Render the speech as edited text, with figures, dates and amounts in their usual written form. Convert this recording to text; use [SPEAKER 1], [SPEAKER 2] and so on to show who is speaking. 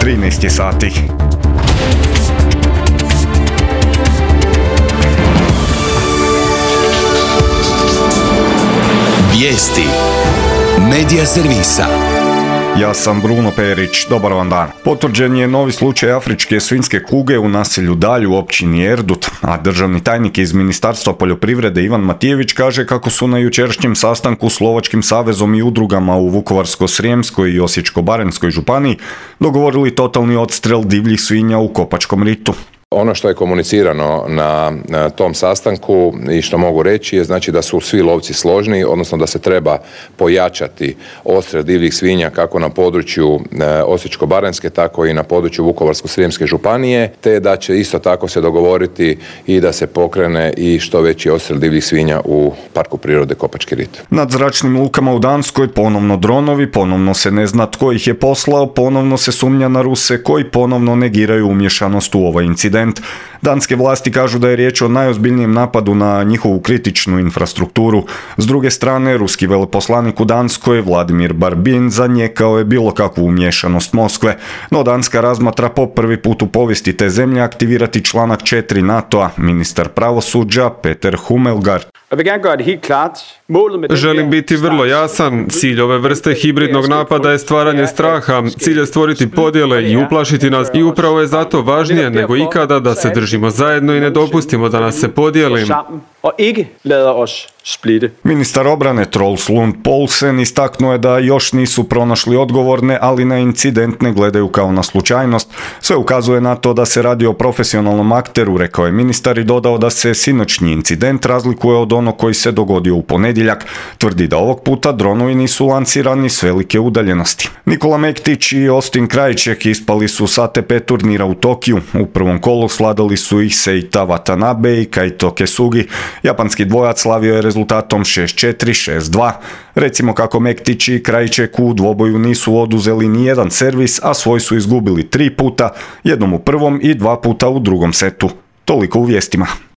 [SPEAKER 1] 13 sati.
[SPEAKER 2] Vijesti Medija servisa.
[SPEAKER 1] Ja sam Bruno Perić, dobar vam dan. Potvrđen je novi slučaj afričke svinjske kuge u naselju Dalj u općini Erdut, a državni tajnik iz Ministarstva poljoprivrede Ivan Matijević kaže kako su na jučerašnjem sastanku s Lovačkim savezom i udrugama u Vukovarsko-srijemskoj i Osječko-baranjskoj županiji dogovorili totalni odstrel divljih svinja u Kopačkom ritu.
[SPEAKER 3] Ono što je komunicirano na tom sastanku i što mogu reći je znači da su svi lovci složni, odnosno da se treba pojačati odstrel divljih svinja kako na području Osječko-baranjske, tako i na području Vukovarsko-srijemske županije, te da će isto tako se dogovoriti i da se pokrene i što veći odstrel divljih svinja u Parku prirode Kopački rit.
[SPEAKER 1] Nad zračnim lukama u Danskoj ponovno dronovi, ponovno se ne zna tko ih je poslao, ponovno se sumnja na Ruse koji ponovno negiraju umješanost u ovaj incident. Danske vlasti kažu da je riječ o najozbiljnijem napadu na njihovu kritičnu infrastrukturu. S druge strane, ruski veleposlanik u Danskoj, Vladimir Barbin, zanijekao je bilo kakvu umješanost Moskve, no Danska razmatra po prvi put u povijesti te zemlje aktivirati članak 4 NATO-a, ministar pravosuđa Peter Hummelgaard.
[SPEAKER 4] Želim biti vrlo jasan, cilj ove vrste hibridnog napada je stvaranje straha, cilj je stvoriti podjele i uplašiti nas i upravo je zato važnije nego ikada da se držimo zajedno i ne dopustimo da nas se podijeli.
[SPEAKER 1] Ministar obrane Troels Lund Poulsen istaknuo je da još nisu pronašli odgovorne, ali na incident ne gledaju kao na slučajnost. Sve ukazuje na to da se radi o profesionalnom akteru, rekao je ministar i dodao da se sinoćnji incident razlikuje od onog koji se dogodio u ponedjeljak. Tvrdi da ovog puta dronovi nisu lancirani s velike udaljenosti. Nikola Mektić i Austin Krajček ispali su s ATP turnira u Tokiju. U prvom kolu svladali su ih Seita Watanabe i Kaito Kesugi. Japanski dvojac slavio je rezultatom 6-4, 6-2. Recimo kako Mektić i Krajček u dvoboju nisu oduzeli ni jedan servis, a svoj su izgubili 3 puta, jednom u prvom i 2 puta u drugom setu. Toliko u vijestima.